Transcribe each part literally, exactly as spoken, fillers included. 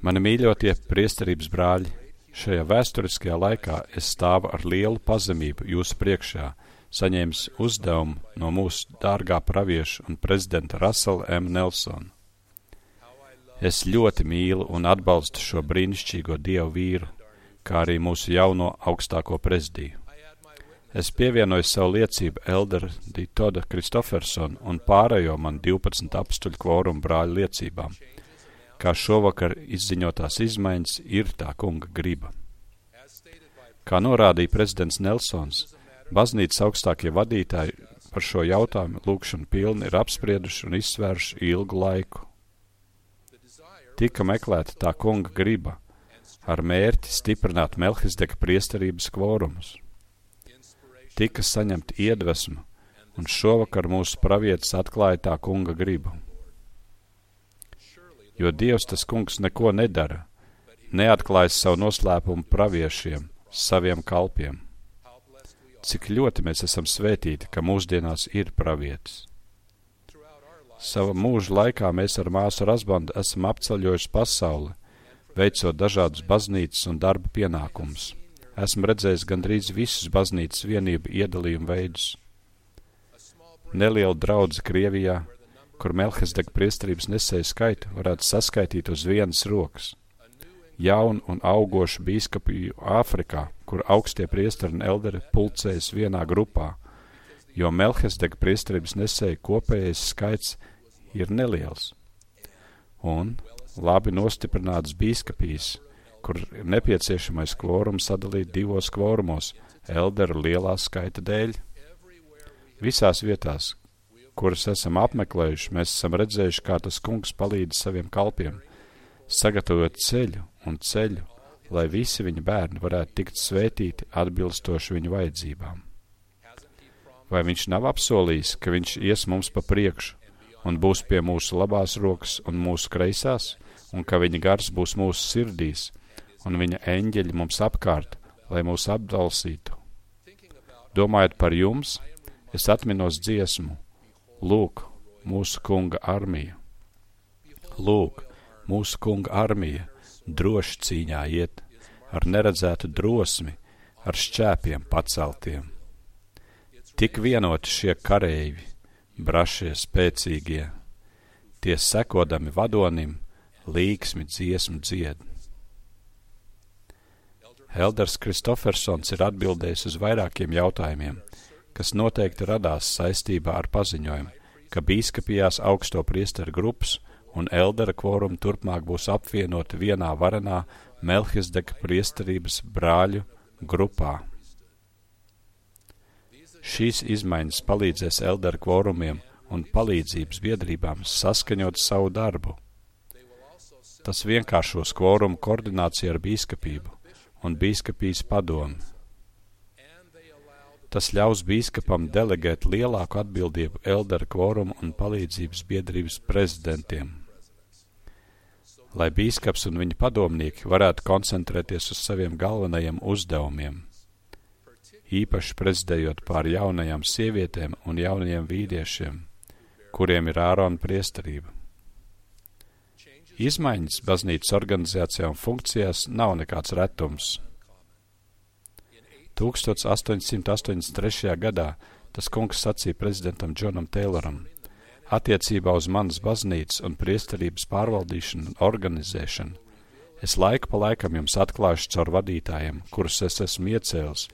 Mani mīļotie priesterības brāļi, šajā vēsturiskajā laikā es stāvu ar lielu pazemību jūsu priekšā, saņēmis uzdevumu no mūsu dārgā pravieša un prezidenta Russella M. Nelsona. Es ļoti mīlu un atbalstu šo brīnišķīgo dievu vīru, kā arī mūsu jauno augstāko prezidiju. Es pievienoju savu liecību Elder D. Toda Kristofersona un pārējo man divpadsmit apstuļu kvorumu brāļu liecībām, kā šovakar izziņotās izmaiņas ir tā kunga griba. Kā norādīja prezidents Nelsons, baznīcas augstākie vadītāji par šo jautājumu lūgšanu pilni ir apsprieduši un izsvēruši ilgu laiku. Tika meklēta tā kunga griba ar mērķi stiprināt Melhizedeka priesterības kvorumus. Tika saņemta iedvesma, un šovakar mūsu pravietis atklāja tā kunga gribu. Jo Dievs tas kungs neko nedara, neatklājas savu noslēpumu praviešiem, saviem kalpiem. Cik ļoti mēs esam svētīti, ka mūsdienās ir pravietis. Sava mūža laikā mēs ar māsu Razbandu esam apceļojuši pasauli, veicot dažādus baznīcas un darba pienākumus. Esmu redzējis gandrīz visus baznīcas vienību iedalījumu veidus. Neliela draudze Krievijā, kur Melhizedeka priesterības nesēju skaitu varētu saskaitīt uz vienas rokas. Jaunu un augošu bīskapiju Āfrikā, kur augstie priesteri un elderi pulcējas vienā grupā, jo Melhizedeka priesterības nesēju kopējais skaits ir neliels. Un labi nostiprināts bīskapijas, kur ir nepieciešamais kvorums sadalīt divos kvorumos, elderu lielā skaita dēļ. Visās vietās, kuras esam apmeklējuši, mēs esam redzējuši, kā tas kungs palīdz saviem kalpiem, sagatavot ceļu un ceļu, lai visi viņa bērni varētu tikt svētīti atbilstoši viņu vajadzībām. Vai viņš nav apsolījis, ka viņš ies mums pa priekšu un būs pie mūsu labās rokas un mūsu kreisās, un ka viņa gars būs mūsu sirdīs, un viņa eņģeļi mums apkārt, lai mūs apdalsītu? Domājot par jums, es atminos dziesmu: Lūk, mūsu kunga armija. Lūk, mūsu kunga armija droši cīņā iet, ar neredzētu drosmi, ar šķēpiem paceltiem. Tik vienoti šie kareivi, brašie spēcīgie, tie sekodami vadonim, līksmi dziesmu dzied. Elders Kristofersons ir atbildējis uz vairākiem jautājumiem, kas noteikti radās saistībā ar paziņojumu, ka bīskapijās augsto priesteru grupas un eldera kvorumu turpmāk būs apvienoti vienā varenā Melhizedeka priesterības brāļu grupā. Šīs izmaiņas palīdzēs eldera kvorumiem un palīdzības biedrībām saskaņot savu darbu. Tas vienkāršos kvorumu koordināciju ar bīskapību un bīskapijas padomi. Tas ļaus bīskapam delegēt lielāku atbildību eldera kvorumu un palīdzības biedrības prezidentiem, lai bīskaps un viņa padomnieki varētu koncentrēties uz saviem galvenajiem uzdevumiem, īpaši prezidējot pār jaunajām sievietēm un jaunajiem vīriešiem, kuriem ir Ārona priesterība. Izmaiņas baznīcas organizācijā un funkcijās nav nekāds retums. tūkstoš astoņsimt astoņdesmit trešajā gadā tas kungs sacīja prezidentam Džonam Tayloram: attiecībā uz manas baznīcas un priesterības pārvaldīšanu un organizēšanu, es laiku pa laikam jums atklāšu caur vadītājiem, kurus es esmu iecēlis,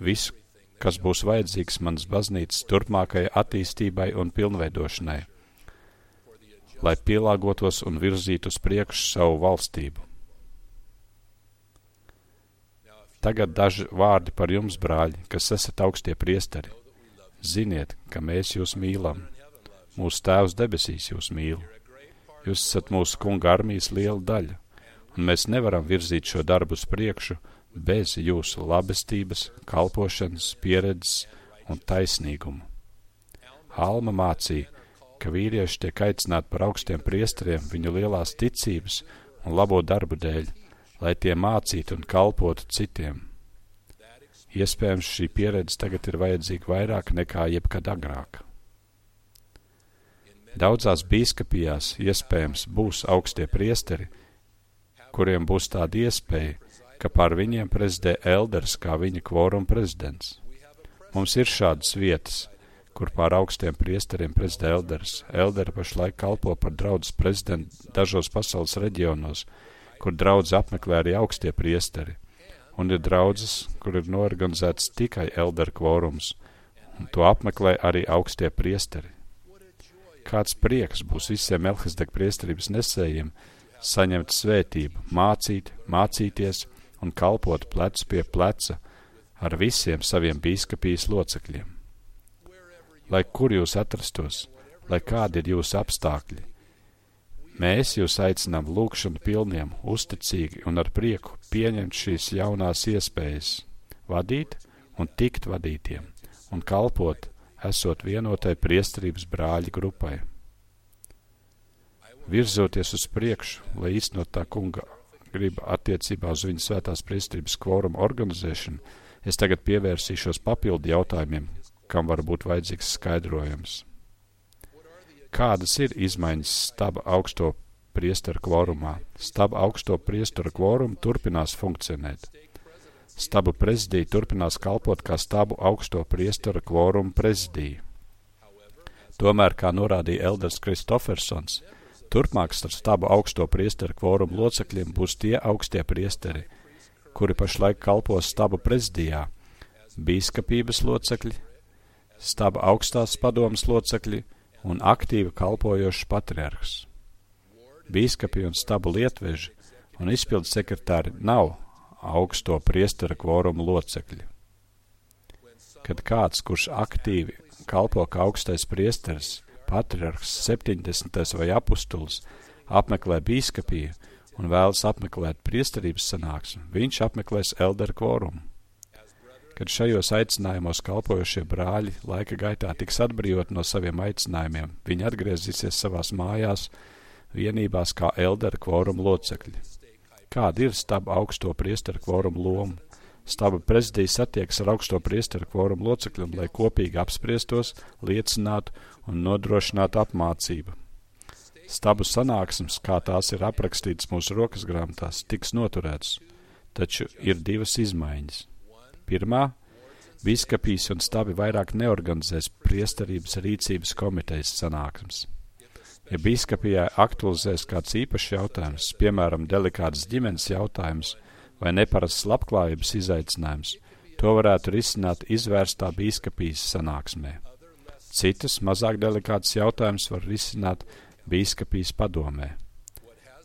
visu, kas būs vajadzīgs manas baznīcas turpmākajai attīstībai un pilnveidošanai, lai pielāgotos un virzītu uz priekšu savu valstību. Tagad daži vārdi par jums, brāļi, kas esat augstie priesteri. Ziniet, ka mēs jūs mīlam. Mūsu Tēvs debesīs jūs mīl. Jūs esat mūsu kunga armijas liela daļa, un mēs nevaram virzīt šo darbu uz priekšu bez jūsu labestības, kalpošanas, pieredzes un taisnīgumu. Alma mācīja, ka vīrieši tiek aicināti par augstiem priesteriem viņu lielās ticības un labo darbu dēļ, lai tie mācītu un kalpotu citiem. Iespējams, šī pieredze tagad ir vajadzīga vairāk nekā jebkad agrāk. Daudzās bīskapijās iespējams būs augstie priesteri, kuriem būs tāda iespēja, ka pār viņiem prezidē elders kā viņa kvoruma prezidents. Mums ir šādas vietas, kur pār augstiem priesteriem prezidē elders. Elderi pašlaik kalpo par draudzes prezidentu dažos pasaules reģionos, kur draudzi apmeklē arī augstie priesteri. Un ir draudzes, kur ir norganizēts tikai elderu kvorums, un to apmeklē arī augstie priesteri. Kāds prieks būs visiem Melhizedeka priesterības nesējiem saņemt svētību, mācīt, mācīties un kalpot plecu pie pleca ar visiem saviem bīskapijas locekļiem. Lai kur jūs atrastos, lai kādi ir jūsu apstākļi, mēs jūs aicinām lūgšanu pilniem, uzticīgi un ar prieku pieņemt šīs jaunās iespējas, vadīt un tikt vadītiem un kalpot, esot vienotai priesterības brāļu grupai. Virzoties uz priekšu, lai īstenot tā kunga griba attiecībā uz viņa svētās priesterības kvoruma organizēšanu, es tagad pievērsīšos papildu jautājumiem, kam var būt vajadzīgs skaidrojums. Kādas ir izmaiņas staba augsto priesteru kvorumā? Staba augsto priesteru kvorumu turpinās funkcionēt. Stabu prezidija turpinās kalpot kā stabu augsto priesteru kvorumu prezidija. Tomēr, kā norādīja elders Kristofersons, turpmāk starp stabu augsto priesteru kvorumu locekļiem būs tie augstie priesteri, kuri pašlaik kalpos stabu prezidijā, bīskapības locekļi, staba augstās padomas locekļi un aktīvi kalpojošs patriarhs. Bīskapi un stabu lietveži un izpildu sekretāri nav augsto priestera kvorumu locekļi. Kad kāds, kurš aktīvi kalpo kā augstais priesteris, patriarhs, septiņdesmitais vai apustulis, apmeklē bīskapiju un vēlas apmeklēt priesterības sanāksmi, viņš apmeklēs elderu kvorumu. Kad šajos aicinājumos kalpojošie brāļi laika gaitā tiks atbrīvot no saviem aicinājumiem, viņi atgriezīsies savās mājās, vienībās kā elderu kvorumu locekļi. Kāda ir staba augsto priesteru kvorumu loma? Staba prezidija satiekas ar augsto priesteru kvorumu locekļiem, lai kopīgi apspriestos, liecinātu un nodrošinātu apmācību. Stabu sanāksmes, kā tās ir aprakstītas mūsu rokas grāmatās, tiks noturētas, taču ir divas izmaiņas. Pirmā, bīskapijas un stabi vairāk neorganizēs priesterības rīcības komitejas sanāksmes. Ja bīskapijā aktualizēs kāds īpašs jautājums, piemēram, delikāts ģimenes jautājums vai neparasts labklājības izaicinājums, to varētu risināt izvērstā bīskapijas sanāksmē. Citas, mazāk delikātas jautājums var risināt bīskapijas padomē.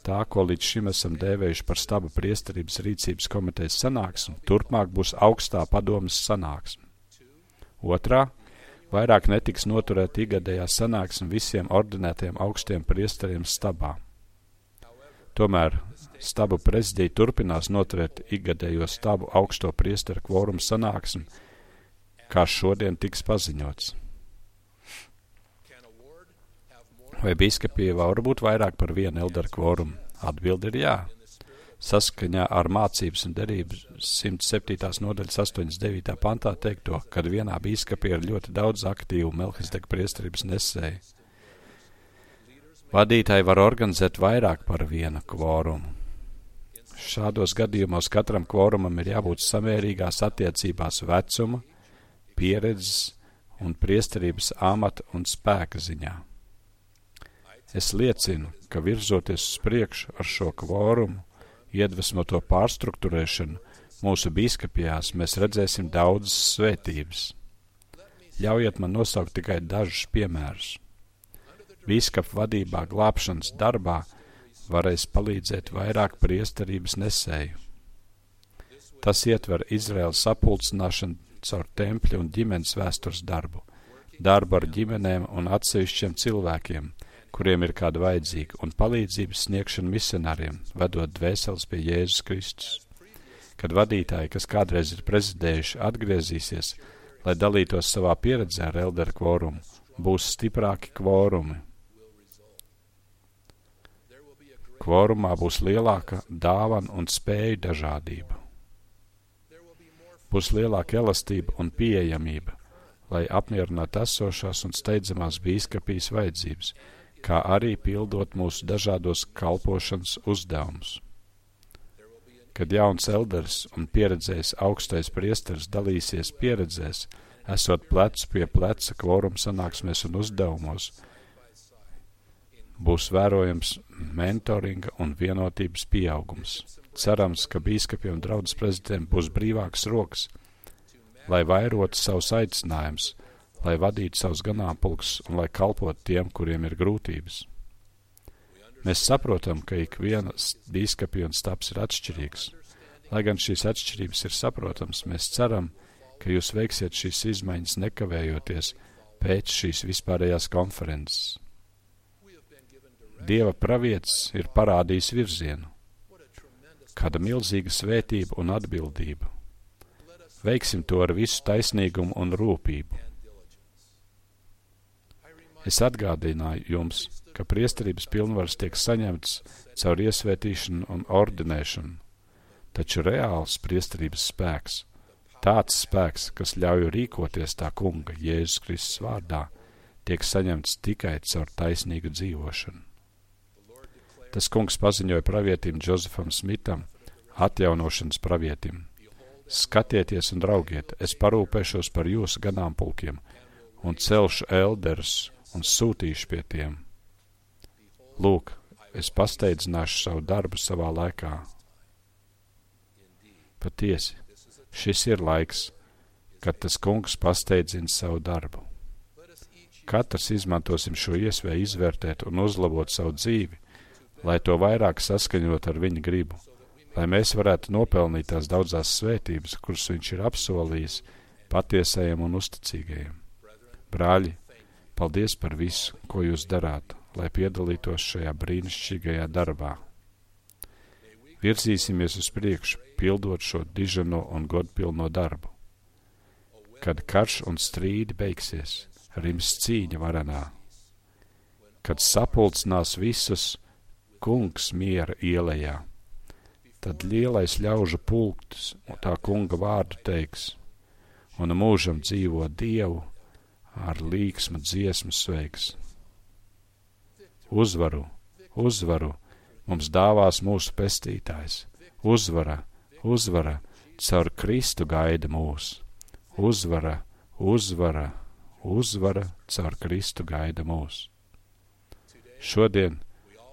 Tā, ko līdz šim esam dēvējuši par staba priesterības rīcības komitejas sanāksmi, turpmāk būs augstā padomes sanāksme. Otrā, vairāk netiks noturēt igadējā sanāksme visiem ordinētiem augstiem priesteriem stabā. Tomēr stabu prezidija turpinās noturēt igadējo stabu augsto priesteru kvorumu sanāksmi, kā šodien tiks paziņots. Vai bīskapija var būt vairāk par vienu elderu kvorumu? Atbilde ir jā. Saskaņā ar mācības un derības simt septītās nodaļas astoņdesmit devītā pantā teikto, kad vienā bīskapijā ir ļoti daudz aktīvu Melhizedeka priesterības nesēju. Vadītāji var organizēt vairāk par vienu kvorumu. Šādos gadījumos katram kvorumam ir jābūt samērīgās attiecībās vecuma, pieredzes un priesterības amata un spēka ziņā. Es liecinu, ka virzoties uz priekšu ar šo kvorumu, iedvesmoto pārstruktūrēšanu, mūsu bīskapijās mēs redzēsim daudzas svētības. Ļaujiet man nosaukt tikai dažus piemērus. Bīskapu vadībā glābšanas darbā varēs palīdzēt vairāk priesterības nesēju. Tas ietver Izraēlas sapulcināšanu caur tempļa un ģimenes vēstures darbu, darbu ar ģimenēm un atsevišķiem cilvēkiem, kuriem ir kāda vajadzīga, un palīdzības sniegšanu misionāriem, vedot dvēseles pie Jēzus Kristus. Kad vadītāji, kas kādreiz ir prezidējuši, atgriezīsies, lai dalītos savā pieredzē ar elderu kvorumu, būs stiprāki kvorumi. Kvorumā būs lielāka dāvana un spēju dažādība. Būs lielāka elastība un pieejamība, lai apmierinātu esošās un steidzamās bīskapijas vajadzības, kā arī pildot mūsu dažādos kalpošanas uzdevumus. Kad jauns elderis un pieredzējis augstais priesteris dalīsies pieredzēs, esot plecu pie pleca kvoruma sanāksmēs un uzdevumos, būs vērojams mentoringa un vienotības pieaugums. Cerams, ka bīskapiem un draudzes prezidentiem būs brīvākas rokas, lai vairotu savus aicinājumus, lai vadītu savus ganāmpulkus un lai kalpotu tiem, kuriem ir grūtības. Mēs saprotam, ka ik viena bīskapija un stabs ir atšķirīgs. Lai gan šīs atšķirības ir saprotams, mēs ceram, ka jūs veiksiet šīs izmaiņas nekavējoties pēc šīs vispārējās konferences. Dieva pravietis ir parādījis virzienu. Kāda milzīga svētība un atbildība. Veiksim to ar visu taisnīgumu un rūpību. Es atgādināju jums, ka priesterības pilnvaras tiek saņemts caur iesvētīšanu un ordinēšanu, taču reāls priesterības spēks, tāds spēks, kas ļauj rīkoties tā kunga Jēzus Kristus vārdā, tiek saņemts tikai caur taisnīgu dzīvošanu. Tas kungs paziņoja pravietim Džozefam Smitam, atjaunošanas pravietim: skatieties un draugiet, es parūpēšos par jūsu ganāmpulkiem un celšu elderus un sūtīšu pie tiem. Lūk, es pasteidzināšu savu darbu savā laikā. Patiesi, šis ir laiks, kad tas kungs pasteidzina savu darbu. Katrs izmantosim šo iespēju izvērtēt un uzlabot savu dzīvi, lai to vairāk saskaņot ar viņa gribu, lai mēs varētu nopelnīt tās daudzās svētības, kuras viņš ir apsolījis patiesajiem un uzticīgajiem. Brāļi, paldies par visu, ko jūs darāt, lai piedalītos šajā brīnišķīgajā darbā. Virzīsimies uz priekšu, pildot šo dižano un godpilno darbu. Kad karš un strīdi beigsies, rims cīņa varenā. Kad sapulcinās visus kungs miera ielējā, tad lielais ļaužu pulks tā kunga vārdu teiks, un mūžam dzīvo Dievu ar līksmu dziesmu sveiks. Uzvaru, uzvaru mums dāvās mūsu pestītājs. Uzvara, uzvara, caur Kristu gaida mūs. Uzvara, uzvara, uzvara, caur Kristu gaida mūs. Šodien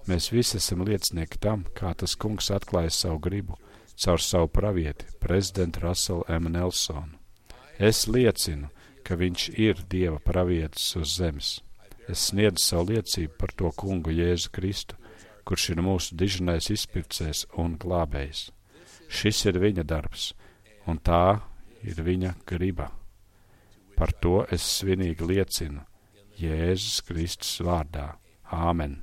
mēs visi esam liecinieki tam, kā tas kungs atklāja savu gribu caur savu pravieti, prezidentu Russellu M. Nelsonu. Es liecinu, ka viņš ir Dieva pravietis uz zemes. Es sniedzu savu liecību par to kungu Jēzu Kristu, kurš ir mūsu dižanais izpircējs un glābējs. Šis ir viņa darbs, un tā ir viņa griba. Par to es svinīgi liecinu Jēzus Kristus vārdā. Āmen.